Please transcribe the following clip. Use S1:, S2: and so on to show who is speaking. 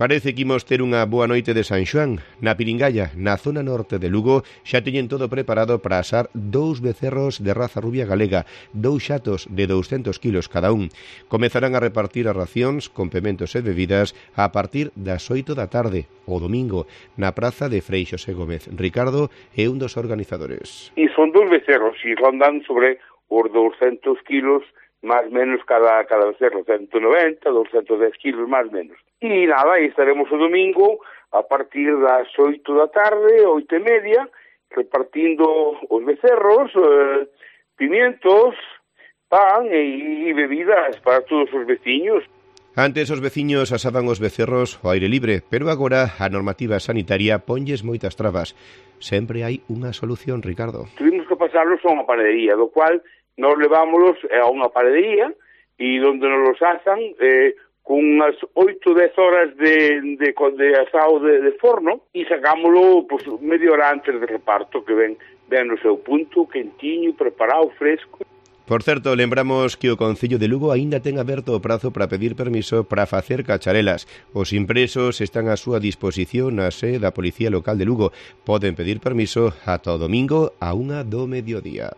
S1: Parece que imos ter unha boa noite de San Xoán. Na Piringalla, na zona norte de Lugo, xa teñen todo preparado para asar 2 becerros de raza rubia galega, 2 xatos de 200 kilos cada un. Comezarán a repartir as racións, complementos e bebidas a partir das 8 da tarde, o domingo, na praza de Frei Xosé Gómez. Ricardo é un dos organizadores.
S2: E son 2 becerros, e rondan sobre os 200 kilos máis menos cada becerro, 190, 210 kilos máis menos. E nada, estaremos o domingo a partir das 8 da tarde, 8:30, repartindo os becerros, pimientos, pan e bebidas para todos os veciños.
S1: Antes os veciños asaban os becerros ao aire libre, pero agora a normativa sanitaria ponlles moitas trabas. Sempre hai unha solución, Ricardo.
S2: Tuvimos que pasarlos a unha panadería, do cual nos levámoslos a unha panadería e onde nos los asan con unhas 8-10 horas de asado de forno e sacámoslo pues, media hora antes do reparto, que ven no seu punto, quentiño, preparado, fresco.
S1: Por certo, lembramos que o Concello de Lugo aínda ten aberto o prazo para pedir permiso para facer cacharelas. Os impresos están á súa disposición na sede da Policía Local de Lugo. Poden pedir permiso ata o domingo a 1 do mediodía.